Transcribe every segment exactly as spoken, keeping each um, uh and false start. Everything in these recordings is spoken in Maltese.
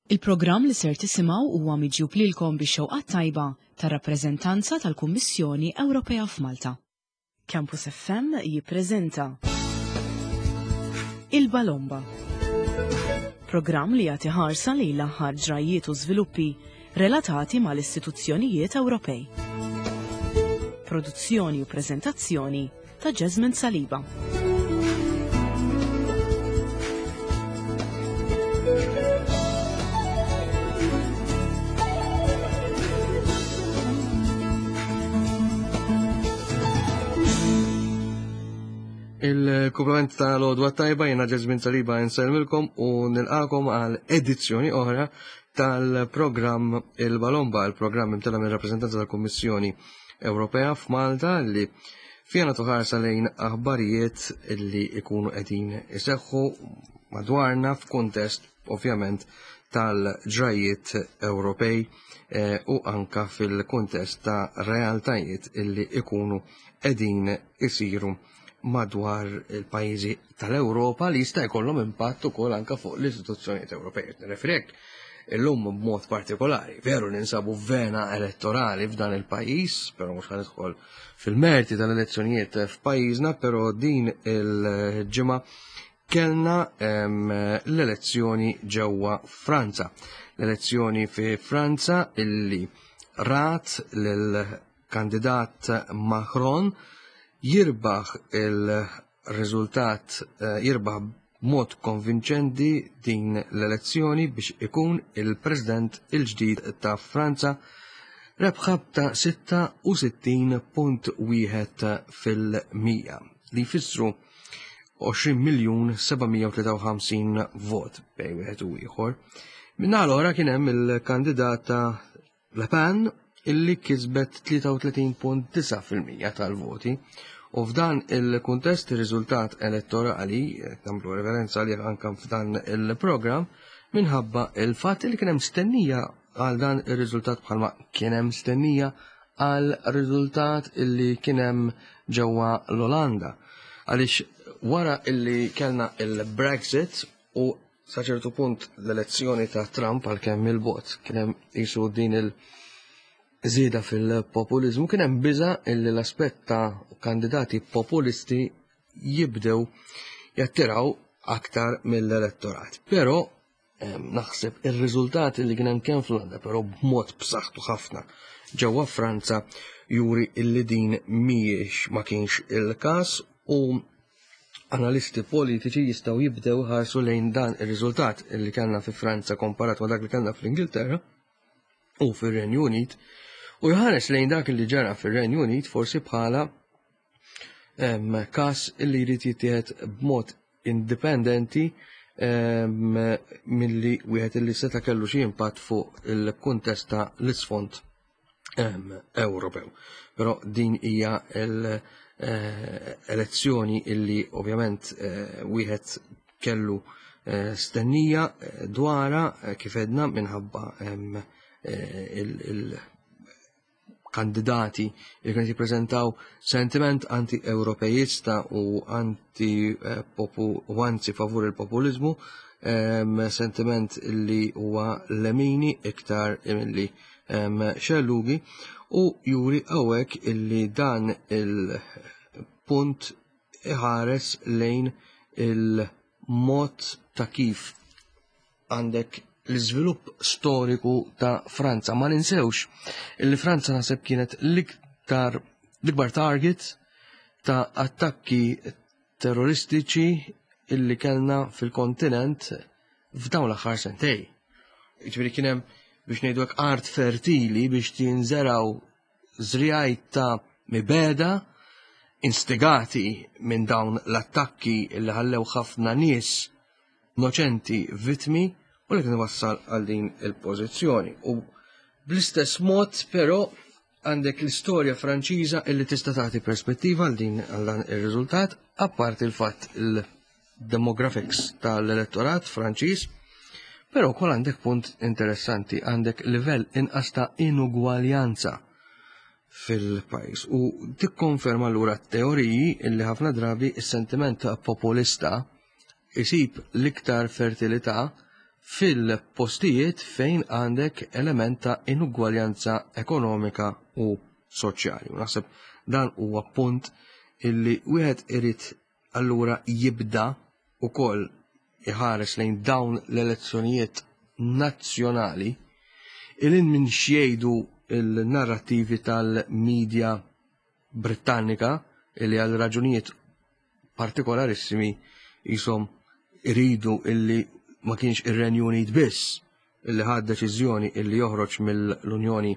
Il-programm li ser tisimgħu huwa miġjub lilkom bix-xewqa tajba tar-rappreżentanza tal-Kummissjoni Ewropea f'Malta. Campus F M jippreżenta Il-Balomba. Programm li jagħti ħarsa lejn l-aħħar ġrajiet u żviluppi relatati mal-istituzzjonijiet Ewropej. Produzzjoni u preżentazzjoni ta' Jasmine Saliba. Il-kumplament ta' l-għodwa tajba, jiena Jasmine Saliba nsellmilkom u nilqakom għal edizzjoni oħra tal-programm Il-Balomba, il-programm imtella minn rappresentanza tal-Kummissjoni Ewropea f'Malta li fiha nagħtu ħarsa lejn aħbarijiet li ikunu qegħdin iseħħu madwarna f'kuntest ovvjament tal-ġrajiet Ewropej eh, u anka fil-kuntest ta' realtajiet illi ikunu qegħdin isiru madwar il-pajjiżi tal-Ewropa li jista' jkollhom impatt ukoll anka fuq l-istituzzjonijiet Ewropej. Nirreferi illum b'mod partikolari. Veru ninsabu vena elettorali f'dan il-pajjiż, però mhux ħa nidħol fil-merti tal-elezzjonijiet f'pajjiżna, però din il-ġimgħa kellna l-elezzjoni ġewwa Franza. L-elezzjoni fi Franza illi rat lill-kandidat Macron jirbaħ il-riżultat, eh, jirbaħ b'mod konvinċenti din l-elezzjoni biex ikun il-President il-ġdid ta' Franza, rebħa ta' sitta u sittin punt wieħed fil-mija li jfissru għoxrin miljun seba' mija u tlieta u ħamsin vot bejn wieħed u ieħor. Minna l-ora kien hemm il-kandidata Le Pen illi kisbet tlieta u tletin punt disgħa fil-mija tal-voti. U f'dan il-kuntest ir-riżultat elettorali, nagħmlu referenza li anka f'dan il-programm, minħabba il-fatt li kien hemm stennija għal dan ir-riżultat bħalma kien hemm stennija għal riżultat illi kien hemm ġewwa l-Olanda. Għaliex wara illi kellna il-Brexit u sa ċertu punt l-elezzjoni ta' Trump, għalkemm il-bot kien hemm jisu din il- żieda fil-populizmu, kien hemm biża illi l-aspett ta' kandidati populisti jibdew jattiraw aktar mill-elettorat. Però naħseb ir-riżultati li kien hemm kemm fl-Olanda, però b'mod b'saħħtu ħafna ġewwa Franza, juri illi din mhijiex ma kienx il-każ u analisti politiċi jistgħu jibdew ħarsu lejn dan ir-riżultat illi kellna fi Franza komparat ma dak li kellna fl-Ingilterra u fir-Renju Unit u jħares lejn dak li ġara fir-Renju Unit forsi bħala każ illi jrid jittieħed b'mod indipendenti milli wieħed illi seta' kellu xi impatt fuq il-kuntest ta' l-isfond Ewropew. Però din hija l-elezzjoni illi ovvjament eh, wieħed kellu eh, stennija eh, dwara, kif edna, minħabba il- kandidati li kienu jippreżentaw sentiment anti-Ewropejista u anti u anzi favur il-populizmu, sentiment li huwa lemini iktar milli xellugi, u juri hawnhekk illi dan il-punt iħares lejn il-mod ta' kif għandek l-iżvilupp storiku ta' Franza. Ma ninsewx illi Franza naħseb kienet l-iktar l-ikbar target ta' attakki terroristiċi illi kellna fil-kontinent f'dawn l-aħħar sentej. Ġifieri kien hemm, biex ngħidu hekk, art fertili biex tinżeraw żriegħ ta' mibegħda instigati minn dawn l-attakki illi ħallew ħafna nies innoċenti vittmi u li kien wassal għal din il-pożizzjoni. U bl-istess mod però għandek l-istorja Franċiża illi tista' tagħti perspettiva għal din għal dan ir-riżultat, apparti il-fatt il-demographics tal-elettorat Franċiż, però wkoll għandek punt interessanti, għandek livell inqas ta' inugwaljanza fil-pajjiż u tikkonferma allura teoriji illi ħafna drabi is-sentiment populista isib l-iktar fertilità fil-postijiet fejn għandek element ta' inugwaljanza ekonomika u soċjali. U naħseb dan huwa punt illi wieħed irid allura jibda ukoll iħares lejn dawn l-elezzjonijiet nazzjonali ilin minn xjejdu il-narrativi tal-medja Britannika illi għal raġunijiet partikolarissimi jisom iridu illi ma kienx ir-Renju Unit biss illi ħad deċiżjoni illi joħroġ mill-Unjoni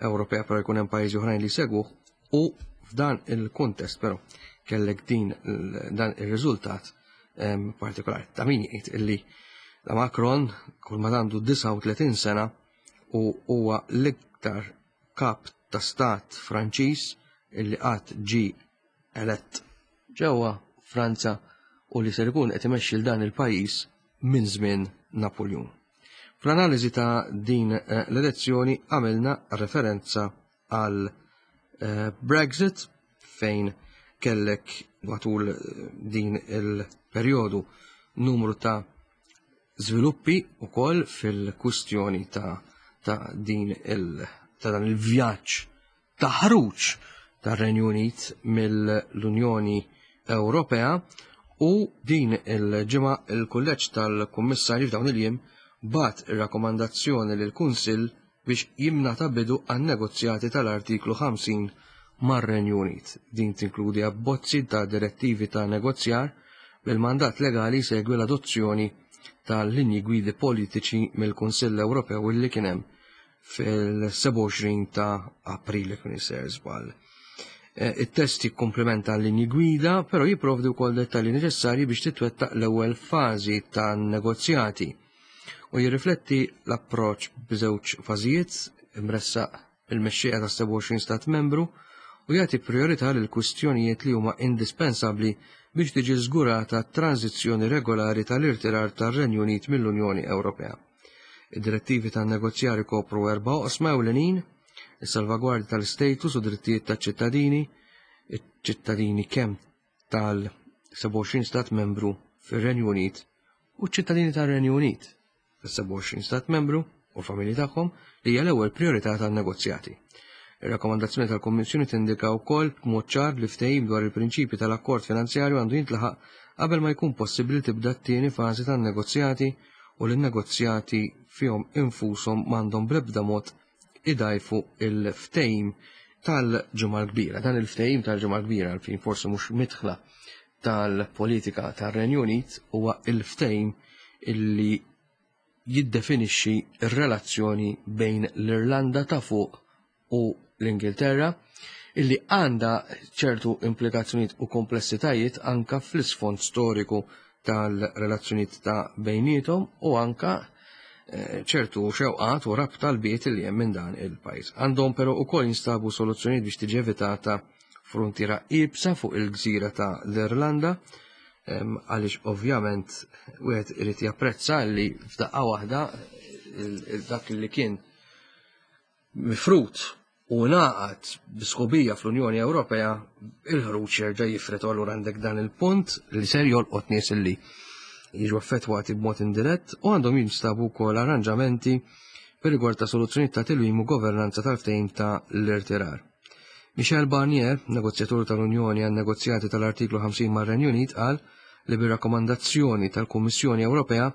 Ewropea, però jkun hemm pajjiżi oħrajn li segwuh, u f'dan il-kuntest però kellek din dan ir-riżultat partikolari. Ta' min jgħid illi la Macron kull ma għandu disgħa u tletin sena u huwa l-iktar kap ta' stat Franċiż illi qatt ġie elett ġewwa Franza u li ser ikun qed imexxi l dan il-pajjiż minn żmien Napoleon. Fl-analiżi ta' din l-elezzjoni għamilna referenza għal Brexit fejn kellek matul din il-perjodu numru ta' żviluppi ukoll fil-kwistjoni ta' ta' din il ta' dan il-vjaġġ ta' ħruġ tar-Renju Unit mill-Unjoni Ewropea, u din il-ġimgħa il-Kulleġġ tal-Kummissarji f'dawn il-jiem bat ir-rakkomandazzjoni lill-Kunsill biex jimnata bidu għan-negozjati tal-artiklu ħamsin mar-Renju Unit. Din tinkludi abbozzi ta' direttivi ta' negozjar bil-mandat legali segwi l-adozzjoni tal-linji gwidi politiċi mill-Kunsill Ewropew illi kien hemm fil-sebgħa u għoxrin ta' April kien isir żball. It-test jikkumplementa l-linji gwida, però jipprovdi wkoll dettalji neċessarji biex titwettaq l-ewwel fażi tan-negozjati u jirrifletti l-approċċ b'żewġ fażijiet imressaq il-mexxejja ta' sebgħa u għoxrin stat membru u jagħti priorità lil kwistjonijiet li huma indispensabbli biex tiġi żgurata tranzizzjoni regolari tal-irtirar tar-Renju Unit mill-Unjoni Ewropea. Id-direttivi tan-negozjar ikopru erba' oqsma ewlenin: is-salvagwardja tal-status u drittijiet taċ-ċittadini, iċ-ċittadini kemm tal-sebgħa u għoxrin stat membru fir-Renju Unit u ċ-ċittadini tar-Renju Unit fis-sebgħa u għoxrin stat membru u l-familji tagħhom, li hija l-ewwel priorità tan-negozjati. Ir-rakkomandazzjoni tal-Kummissjoni tindika wkoll b'mod ċar li ftehim dwar il-prinċipji tal-akkord finanzjarju għandu jintlaħaq qabel ma jkun possibbli tibda t-tieni fażi tan-negozjati u li n-negozjati fihom infushom m'għandhom bl-ebda mod idajfu il-ftehim tal-Ġimgħa l-Kbira. Dan il-ftehim tal-Ġimgħa l-Kbira, għalfejn forsi mhux midħla tal-politika tar-Renju Unit, huwa il-ftehim illi jiddefinixxi r-relazzjoni bejn l-Irlanda ta' fuq u l-Ingilterra, illi għandha ċertu implikazzjonijiet u komplessitajiet anka fl-isfond storiku tal-relazzjonijiet ta' bejniethom u anka ċertu xewqat u rabta l-biet li hemm minn dan il-pajjiż. Għandhom però wkoll jinstabu soluzzjonijiet biex tiġi evitata frontiera iebsa fuq il-gżira ta' l-Irlanda, għaliex ovvjament wieħed irid japprezza li f'daqqa waħda dak li kien mifrut u ngħaqad bi sħubija fl-Unjoni Ewropea, il-ħruġ jerġa' jifred, u allura għandek dan il-punt li ser jolqot nies li jiġu affettwati b'mod indirett, u għandhom jinstabu wkoll arranġamenti per rigward ta' soluzzjonijiet ta' tilwim u governanza tal-ftehim ta' l-irtirar. Michel Barnier, negozjatur tal-Unjoni għan negozjati tal-artiklu ħamsin mar-Renju Unit, qal li bir-rakkomandazzjoni tal-Kummissjoni Ewropea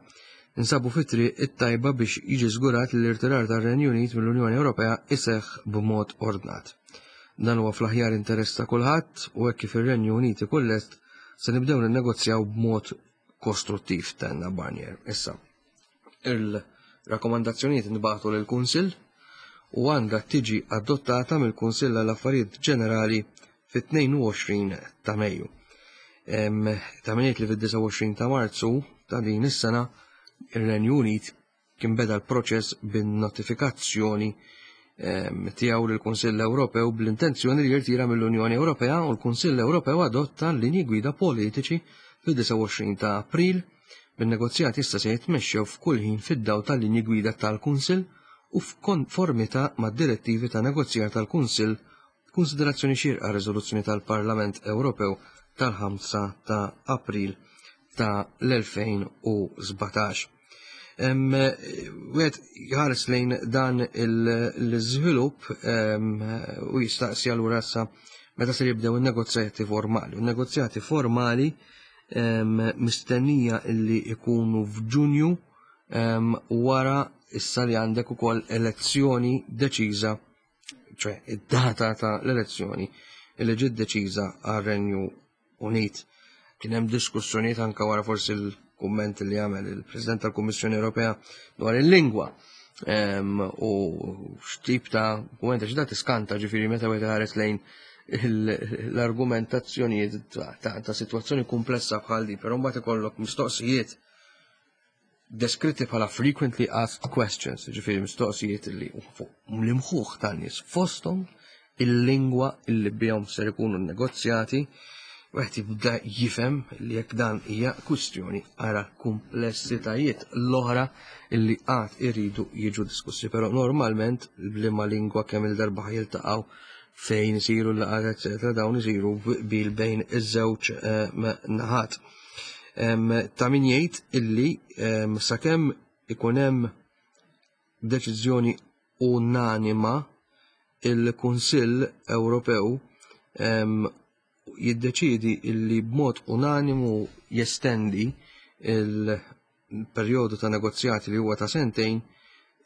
insabu fit-triq it-tajba biex jiġi żgurat li l-irtirar tar-Renju Unit mill-Unjoni Ewropea iseħħ b'mod ordnat. Dan huwa fl-aħjar interess ta' kulħadd u hekk kif ir-Renju Unit ikun lest se nibdew ninnegozjaw b'mod kostruttiv, tenna Barnier. Issa, il-rakkomandazzjonijiet nbagħtu lill-Kunsill u għandha tiġi adottata mill-Kunsill għall-Affarijiet Ġenerali fit-tnejn u għoxrin ta' Mejju. Ta' min jgħid li fid-disgħa u għoxrin ta' Marzu ta' din is-sena ir-Renju Unit kien beda l-proċess bin-notifikazzjoni tiegħu lill-Kunsill Ewropew bl-intenzjoni li jirtira mill-Unjoni Ewropea, u l-Kunsill Ewropew adotta l-linji gwida politiċi fid-disgħa u għoxrin ta' April, bin-negozjati issa se jitmexxew f'kull ħin fid-dawl tal-linji gwida tal-Kunsill u f'konformità mad-direttivi ta' negozjar tal-Kunsill b'konsiderazzjoni xierqa riżoluzzjoni tal-Parlament Ewropew tal-ħamsa ta' April ta' l-elfejn u sbatax. Wieħed jħares lejn dan l-iżvilupp u jistaqsi allura issa meta se jibdew in-negozjati formali. U negozjati formali mistennija illi ikunu f'Ġunju, wara issa li għandek ukoll elezzjoni deċiża, ċe id-data ta' l-elezzjoni illi ġiet deċiża għar-Renju Unit. Kien hemm diskussjonijiet anke wara forsi l-kumment li għamel il-President tal-Kummissjoni Ewropea dwar il-lingwa u x'tip ta' kumment, għax da tiskanta, ġifieri meta wieħed ħares lejn l-argumentazzjonijiet ta' sitwazzjoni komplessa bħal di, però mbagħad ikollok mistoqsijiet deskritti bħala frequently asked questions, ġifieri mistoqsijiet li fuq l-imħuħ tan-nies, fosthom il-lingwa illi bihom ser ikunu negozjati, wieħed jibda jifhem li jekk dan hija kwistjoni ara komplessitajiet l-oħra illi għad iridu jiġu diskussi, però normalment b'liema lingwa, kemm il-darba jiltaqgħu, fejn isiru l-laqgħat, eccetera, dawn isiru bil bejn iż-żewġ naħat. Ta' min jgħid illi sakemm ikun hemm deċiżjoni unanima, il-Kunsill Ewropew jiddeċidi illi b'mod unanimu jestendi il-perjodu ta' negozjati li huwa ta' sentejn,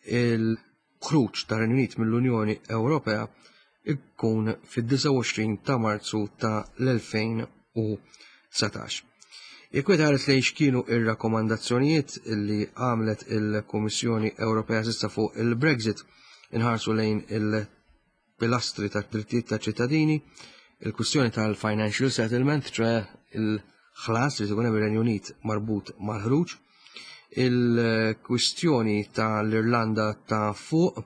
il-ħruġ ta' Renju Unit mill-Unjoni Ewropea ikkun fid-disgħa u għoxrin ta' Marzu ta' l-elfejn u dsatax. Jekk wieħed ħares lejn x'kienu ir-rakkomandazzjonijiet li għamlet il-Kummissjoni Ewropea s'issa fuq il-Brexit, inħarsu lejn il-pilastri ta' drittijiet ta' ċittadini, il-kwistjoni tal-financial settlement, ċe il-ħlas li tkun hemm ir-Renju Unit marbut mal-ħruġ, il-kwistjoni tal-Irlanda ta' fuq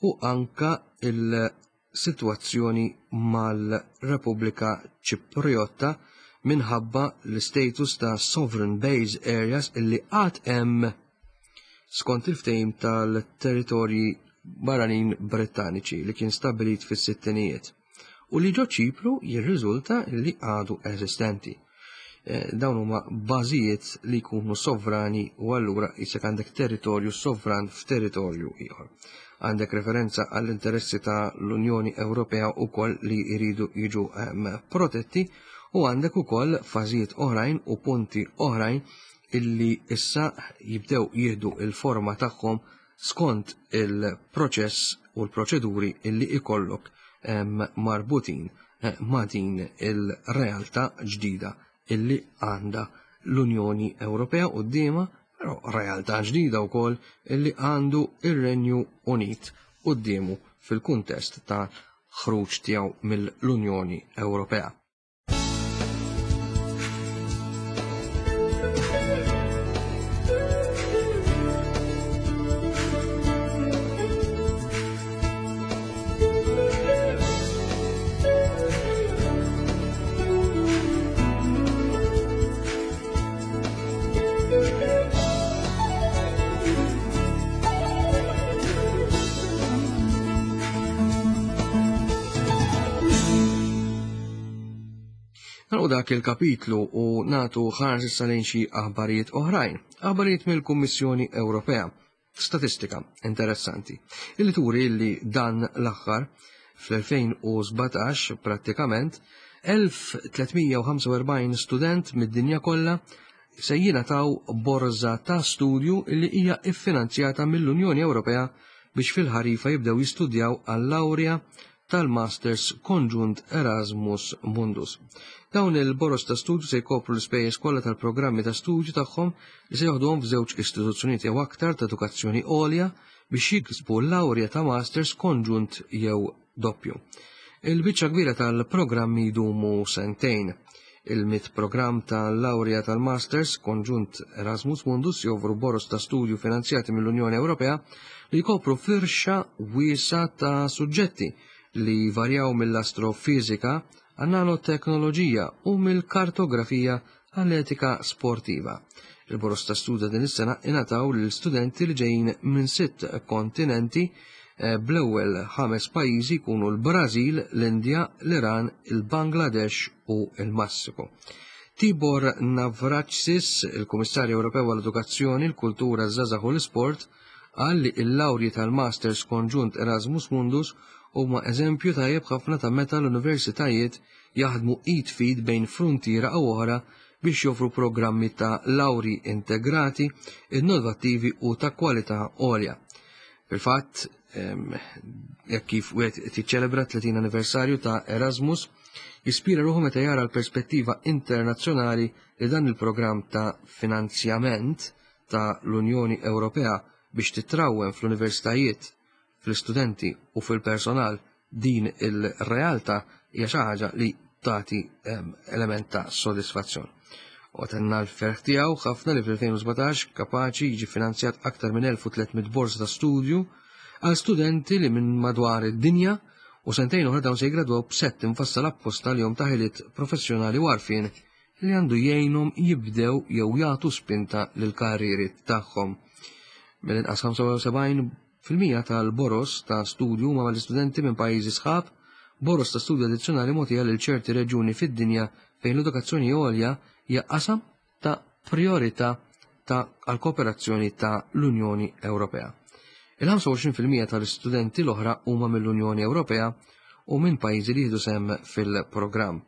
u anka il-sitwazzjoni mal-Repubblika Ċipriotta minħabba l-status ta' Sovereign Base Areas illi għad hemm skont il-ftehim tal-territorji barranin Brittaniċi li kien stabilit fis-sittinijiet u li ġo Ċipru jirriżulta li għadu eżistenti. Eh, dawn huma bażijiet li jkunu sovrani u allura jisek għandek territorju sovran f'territorju ieħor. Għandek referenza għall-interessi ta' l-Unjoni Ewropea ukoll li jridu jiġu protetti u għandek ukoll fażijiet oħrajn u punti oħrajn illi issa jibdew jieħdu il-forma tagħhom skont il-proċess u l-proċeduri illi ikollok marbutin eh, ma' din il-realtà ġdida illi għandha l-Unjoni Ewropea quddiemha, però realtà ġdida wkoll illi għandu ir-Renju Unit quddiemu fil-kuntest ta' ħruġ tiegħu mill-Unjoni Ewropea. Nagħlqu dak il-kapitlu u natu ħarsa issa lejn xi aħbarijiet oħrajn. Aħbarijiet mill-Kummissjoni Ewropea. Statistika interessanti illi turi li dan l-aħħar fl-elfejn u sbatax prattikament elf tliet mija u ħamsa u erbgħin student mid-dinja kollha se jingħataw borża ta' studju li hija iffinanzjata mill-Unjoni Ewropea biex fil-ħarifa jibdew jistudjaw għall-lawrja tal-Masters Konġunt Erasmus Mundus. Dawn il-boros ta' studju se jkopru l-ispejjeż kollha tal-programmi ta' studju tagħhom li se joħduhom f'żewġ istituzzjonijiet jew aktar ta' edukazzjoni għolja biex jiksbu l-lawrja ta' Masters konġunt jew doppju. Il-biċċa kbira tal-programmi jdumu sentejn. Il-mitt programm tal-lawrja tal-Masters Konġunt Erasmus Mundus joffru boros ta' studju finanzjati mill-Unjoni Ewropea li jkopru firxa wiesa ta' suġġetti li varjaw mill-astrofizika għan-nanoteknoloġija u mill-kartografija għall-etika sportiva. Il-boros ta' studju din is-sena ingħataw lil studenti li ġejjin minn sitt kontinenti, eh, bl-ewwel ħames pajjiżi jkunu l-Brażil, l-Indja, l-Iran, il-Bangladesh u il-Messiku. Tibor Navracsics, il-Kummissarju Ewropew għall-Edukazzjoni, il-Kultura, ż-Żgħażagħ u l-Isport, qal li l-lawrji tal-Masters Konġunt Erasmus Mundus huma eżempju tajjeb ħafna ta' meta l-universitajiet jaħdmu id f'id bejn fruntiera u oħra biex joffru programmi ta' lawri integrati, innovattivi u ta' kwalità għolja. Fil-fatt, jekk kif wieħed tiċċelebra tletin anniversarju ta' Erasmus, jispira ruħu meta jara l-perspettiva internazzjonali li dan il-programm ta' finanzjament ta' l-Unjoni Ewropea biex titrawwem fl-universitajiet, fl-istudenti u fil-personal din il-realtà hija xi ħaġa li tagħti element ta' sodisfazzjon. U tenna l-ferħ tiegħu ħafna li fl-elfejn u sbatax kapaċi jiġi finanzjat aktar minn elf u tliet mitt borsa ta' studju għal studenti li minn madwar id-dinja u sentejn oħra dawn se jgradwaw b'sett imfassal apposta li jom ta' ħiliet professjonali u għarfien li għandu jgħinhom jibdew jew jagħtu spinta lill-karrieri tagħhom. Mill-inqas ħamsa u sebgħin fil-mija tal-boros ta' studju huma mal-istudenti minn pajjiżi sħab, boros ta' studju addizzjonali mogħtija lil ċerti reġjuni fid-dinja fejn l-edukazzjoni għolja hija qasam ta' priorità ta' għall-kooperazzjoni ta' l-Unjoni Ewropea. Il-ħamsa u għoxrin fil-mija tal-istudenti l-oħra huma mill-Unjoni Ewropea u minn pajjiżi li jieħdu sehem fil-programm.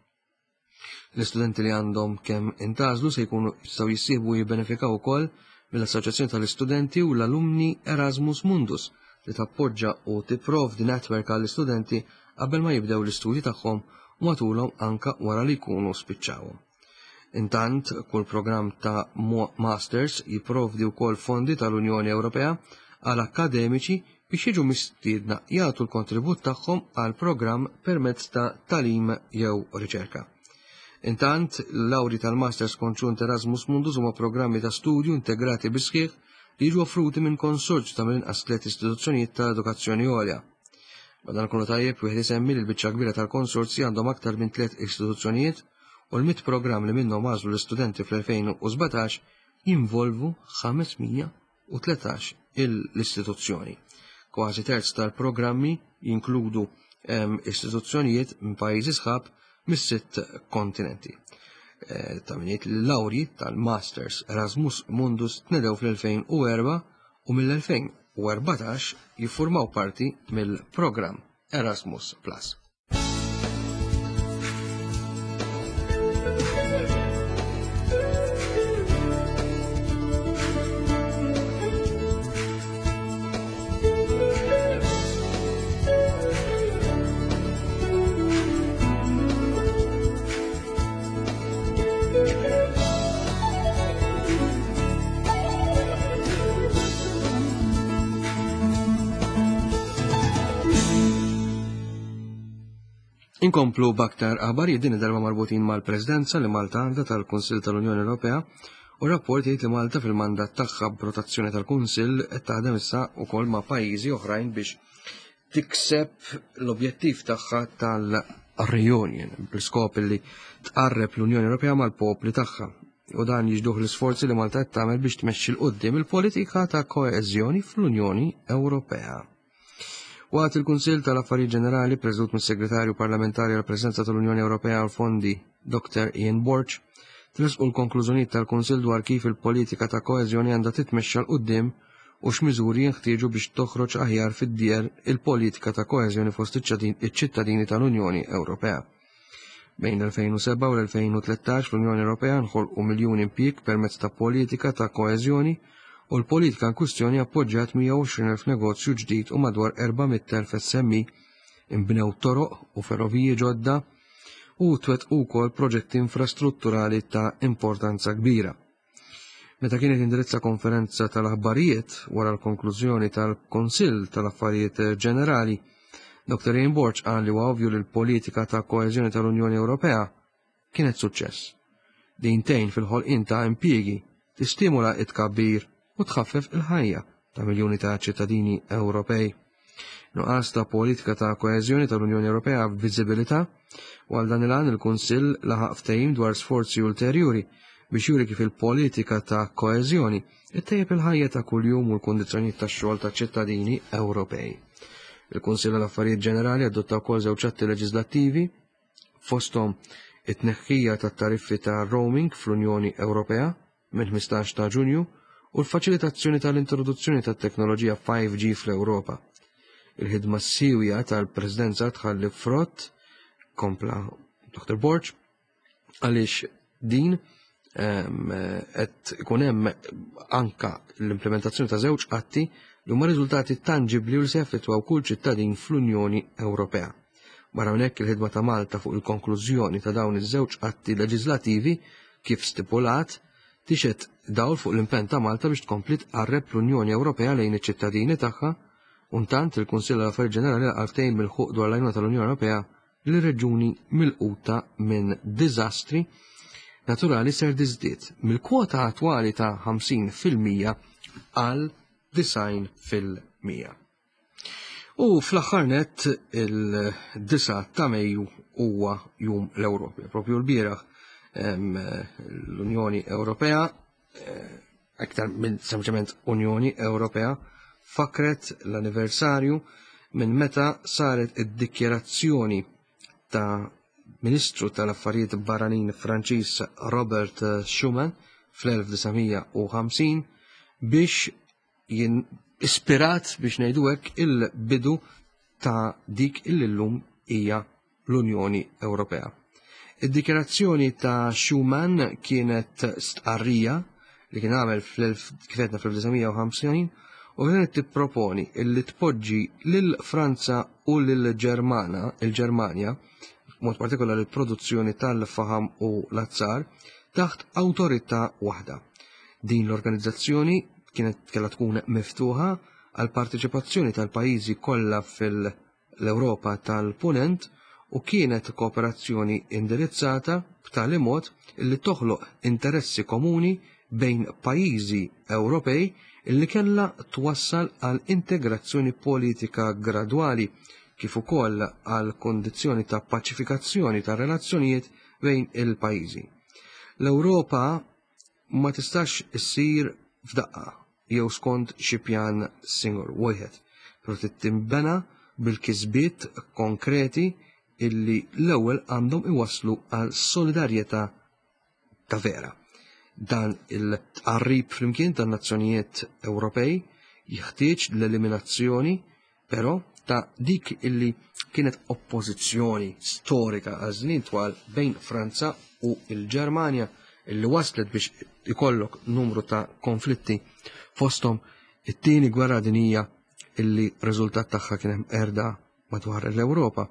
L-istudenti li għandhom kemm intażlu se jkunu jistgħu jissieħbu u jibbenefikaw ukoll mill-Assoċjazzjoni tal-Istudenti u l-Alumni Erasmus Mundus li tappoġġa u tipprovdi netwerk għall-istudenti qabel ma jibdew l-istudji tagħhom u matulhom anka wara li jkunu spiċċawhom. Intant, kull programm ta' Masters jipprovdi wkoll fondi tal-Unjoni Ewropea għal akademiċi biex jiġu mistiedna jagħtu l-kontribut tagħhom għal programm permezz ta' talim jew riċerka. Intant, l-lawri tal-Masters Konġunt Erasmus Mundus huma programmi ta' studju integrati bisħieħ li jiġu offruti minn konsorzju ta' mill-inqas tliet istituzzjonijiet ta' edukazzjoni għolja. Madankollu tajjeb wieħed isemmi li l-biċċa kbira tal-konsorzji għandhom aktar minn tliet istituzzjonijiet u l-mitt programm li minnhom għażlu l-istudenti fl-elfejn u sbatax jinvolvu ħames mija u tletax l-istituzzjoni. Kważi terz tal-programmi jinkludu, ehm, istituzzjonijiet minn pajjiżi sħab mis-sitt kontinenti. Eh, ta' min jgħid li l-lawri tal-Masters Erasmus Mundus tnedew fl-elfejn u erba' u mill-elfejn u erbatax jiffurmaw parti mill-programm Erasmus Plus. Inkomplu b'aktar aħbarijiet din id-darba marbutin mal-Presidenza li Malta għandha tal-Kunsill tal-Unjoni Ewropea u rapport jgħid li Malta fil-mandat tagħha b'rotazzjoni tal-Kunsill qed taħdem issa wkoll ma' pajjiżi oħrajn biex tikseb l-objettiv tagħha tal-reunion bl-iskop li tqarreb l-Unjoni Ewropea mal-popli tagħha. U dan jiġduh l-isforzi li Malta qed tagħmel biex tmexxi 'l quddiem il-politika ta' koeżjoni fl-Unjoni Ewropea. Waqt il-Kunsill tal-Affarijiet Ġenerali preżdut mis-Segretarju Parlamentari għall-Presidenza tal-Unjoni Ewropea għall-Fondi Doktor Ian Borg, tresqu l-konklużjonijiet tal-Kunsill dwar kif il-politika ta' koeżjoni għandha titmexxa 'l quddiem u x'miżuri jinħtieġu biex toħroġ aħjar fid-djer il-politika ta' koeżjoni fost iċ-ċittadini tal-Unjoni Ewropea. Bejn l-elfejn u seba' u l-elfejn u tlettax fl-Unjoni Ewropea nħolqu miljun impjieg permezz ta' politika ta' koeżjoni u l-politika in kwistjoni appoġġjat mija u għoxrin elf negozju ġdid u madwar erba' mitt elf S M E, imbnew toroq u ferroviji ġodda u twettqu wkoll proġetti infrastrutturali ta' importanza kbira. Meta kienet indirizza konferenza tal-aħbarijiet wara l-konklużjoni tal-Kunsill tal-Affarijiet Ġenerali, Doktor Ian Borg qal li huwa ovvju li l-politika ta' koeżjoni tal-Unjoni Ewropea kienet suċċess. Din tgħin fil-ħolqien ta' impjiegi, tistimula t-tkabbir u tħaffef il-ħajja ta' miljuni ta' ċittadini Ewropej. Nuqqas ta' politika ta' koeżjoni tal-Unjoni Ewropea f'viżibilità u għal dan il-għan il-Kunsill laħaq ftehim dwar sforzi ulterjuri biex juri kif il-politika ta' koeżjoni ittejjeb il-ħajja ta' kuljum u l-kundizzjonijiet tax-xogħol ta' ċittadini Ewropej. Il-Kunsill għall-Affarijiet Ġenerali adotta wkoll żewġ atti leġislattivi fosthom It-tneħħija tat-tariffi ta' roaming fl-Unjoni Ewropea minn ħmistax ta' Ġunju u l-faċilitazzjoni tal-introduzzjoni tat-teknoloġija five G fl-Ewropa. Il-ħidma siwja tal-Presidenza tħalli frott, kompla Doktor Borg, għaliex din qed ikun hemm anka l-implementazzjoni ta' żewġ atti li huma riżultati tangibbli u li se jaffettwaw kull ċittadin fl-Unjoni Ewropea. Barra minn hekk, il-ħidma ta' Malta fuq il-konklużjoni ta' dawn iż-żewġ atti leġislattivi kif stipulat tixet dawl fuq l-impenn ta' Malta biex tkompli tqarreb l-Unjoni Ewropea lejn iċ-ċittadini tagħha. Intant il-Kunsill għall-Affarijiet Ġenerali għal ftehim milħuq dwar l-għajnuna tal-Unjoni Ewropea li reġuni milquta minn diżastri naturali ser tiżdied mill-kwota attwali ta' ħamsin fil-mija għal disgħin fil-mija. U fl-aħħar nett il-disgħa ta' Mejju huwa Jum l-Ewropa. Propju l-bieraħ, em, l-Unjoni Ewropea, eh, aktar minn sempliċement Unjoni Ewropea, fakret l-anniversarju minn meta saret id-dikjerazzjoni ta' Ministru tal-Affarijiet Barranin Franċiż Robert Schuman fl-elf disa' mija u ħamsin biex jien ispirat biex ngħidu hekk il-bidu ta' dik illum hija l-Unjoni Ewropea. Id-dikjerazzjoni ta' Schuman kienet stqarrija li kien għamel fl-elf, kif għedna fl-elf disa' mija u ħamsin u kienet tipproponi illi tpoġġi lil Franza u lil Ġermana, il-Ġermanja, mod partikolari l-produzzjoni tal-faham u l-azzar, taħt awtorità waħda. Din l-organizzazzjoni kienet kellha tkun miftuħa għal parteċipazzjoni tal-pajjiżi kollha fil-Ewropa tal-Punent u kienet kooperazzjoni indirizzata b'tali mod li toħloq interessi komuni bejn pajjiżi Ewropej illi kellha twassal għal integrazzjoni politika gradwali kif ukoll għal kondizzjoni ta' paċifikazzjoni ta' relazzjonijiet bejn il-pajjiżi. L-Ewropa ma tistax issir f'daqqa jew skont xi pjan single wieħed, però trid tinbena bil-kisbiet konkreti illi l-ewwel għandhom iwasslu għal solidarjetà ta' vera. Dan il-tqarrib flimkien tan-nazzjonijiet Ewropej jeħtieġ l-eliminazzjoni però ta' dik illi kienet oppożizzjoni storika għal żmien twal bejn Franza u l-Ġermanja illi waslet biex ikollok numru ta' konflitti fosthom it-tieni gwerra dinjija illi riżultat tagħha kien hemm erda madwar l-Ewropa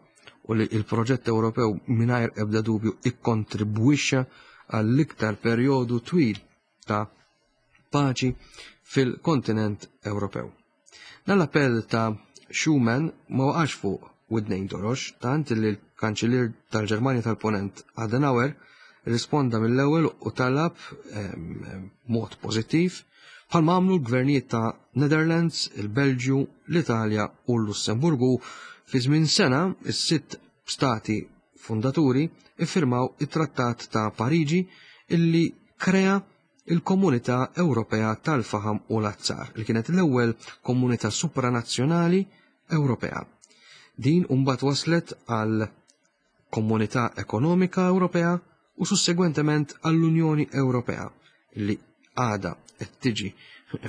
u li il-proġett Ewropew mingħajr ebda dubju ikkontribwixxa għall-iktar perjodu twil ta' paċi fil-kontinent Ewropew. Dan l-appell ta' Schuman ma waqax fuq widnejn torox, tant li l-Kanċillier tal-Ġermanja tal-Ponent Adenauer risponda mill-ewwel u talab, ehm, mod pożittiv bħalma għamlu l-gvernijiet ta' Netherlands, il-Belġju, l-Italja u l-Lussemburgu. Fi żmien sena, is-sitt stati fundaturi iffirmaw it-Trattat ta' Pariġi illi krea il-Komunità Ewropea tal-Faham u l-Azzar, li kienet l-ewwel komunità supranazzjonali Ewropea. Din mbagħad waslet għal Komunità Ekonomika Ewropea u sussegwentement għall-Unjoni Ewropea, li għada qed tiġi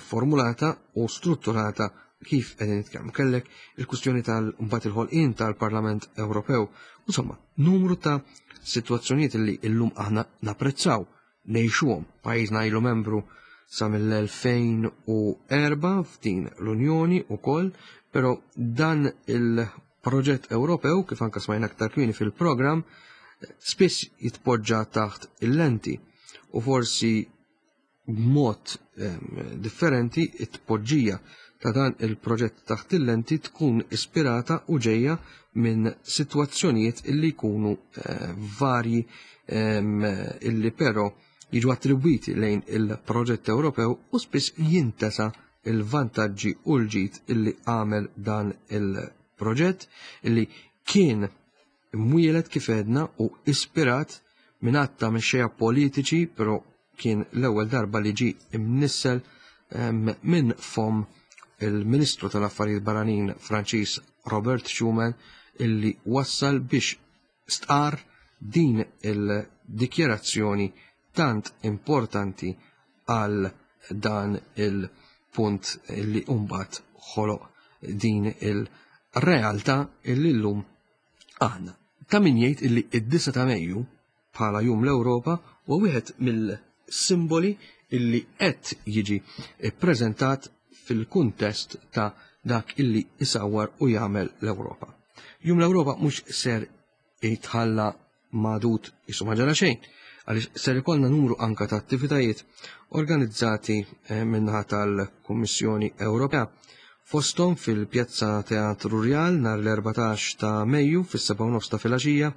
formulata u strutturata kif qegħdin nitkellmu. Kellek il-kwistjoni tal-mbagħad il-ħolqien tal-Parlament Ewropew, insomma, numru ta' sitwazzjonijiet li llum aħna napprezzaw, ngħixuhom. Pajjiżna ilu membru sa mill-elfejn u erba' f'din l-Unjoni wkoll, però dan il-proġett Ewropew, kif anke smajna aktar kmieni fil-programm, spiss jitpoġġa taħt il-lenti u forsi b'mod, ehm, differenti it-tpoġġija ta' dan il-proġett taħt il-lenti tkun ispirata u ġejja minn sitwazzjonijiet illi jkunu, eh, varji, ehm, illi però jiġu attribwiti lejn il-proġett Ewropew u spiss jintesa il-vantaġġi u l-ġid illi għamel dan il-proġett illi kien imwieled kif għedna u ispirat minn għadd ta' mexxejja politiċi, però kien l-ewwel darba li ġie imnissel, ehm, minn fom il-Ministru tal-Affarijiet Barranin Franċiż Robert Schuman illi wassal biex stqar din il-dikjerazzjoni tant importanti għal dan il-punt li mbagħad ħoloq din il-realtà illi llum għandna. Ta' min jgħid illi id-disgħa ta' Mejju bħala Jum l-Ewropa huwa wieħed mill-simboli illi qed jiġi ppreżentat fil-kuntest ta' dak illi isawwar u jagħmel l-Ewropa. Jum l-Ewropa mhux ser jitħalla magħdud qisu ma ġara xejn, għaliex ser ikollna numru anka ta' attivitajiet organizzati min-naħa tal-Kummissjoni Ewropea. Fosthom fil-Pjazza Teatru Rjal nhar l-erbatax ta' Mejju fis-sebgħa u nofs ta' filgħaxija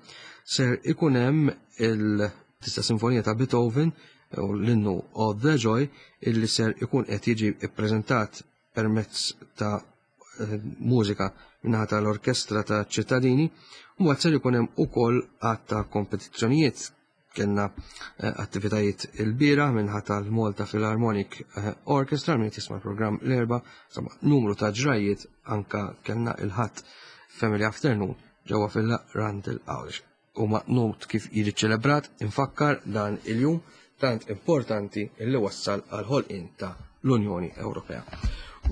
ser ikun hemm il-Tista' Sinfonija ta' Beethoven u l-innu O the Joy illi ser ikun qed jiġi ppreżentat permezz ta' mużika min-naħa tal-Orkestra ta' Ċittadini, u mbagħad ser ikun hemm ukoll għadd ta' kompetizzjonijiet. Kellna attivitajiet il-bieraħ minħa tal-Malta Philharmonic Orchestra, min jisma' l-programm l-Erbgħa, insomma numru ta' ġrajiet anka kellna il-Ħadd Family Afternoon ġewwa fil-Randall Għawdex. Huma not kif jiġi ċelebrat, infakkar dan il-jum tant importanti illi wassal għal ħolqien ta' l-Unjoni Ewropea.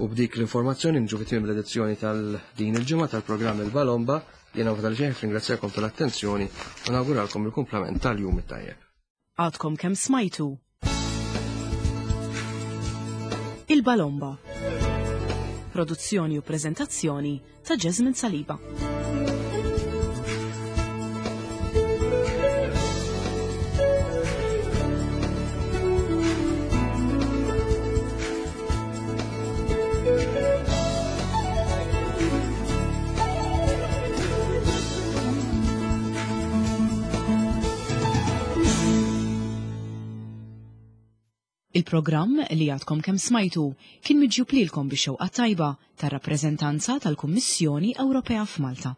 U b'dik l-informazzjoni nġu fi tmiem l-edizzjoni tal-din il-ġimgħa tal-programm Il-Balomba. Jiena Vitali Xejn, ringrazzjakom tal-attenzjoni u nawguralkom il-kumplament tal-jum it-tajjeb. Għadkom kemm smajtu Il-Balomba. Produzzjoni u preżentazzjoni ta' Jasmine Saliba. Il-programm li għadkom kemm smajtu kien miġjub lilkom bix-xewqa tajba tar-rappreżentanza tal-Kummissjoni Ewropea f'Malta.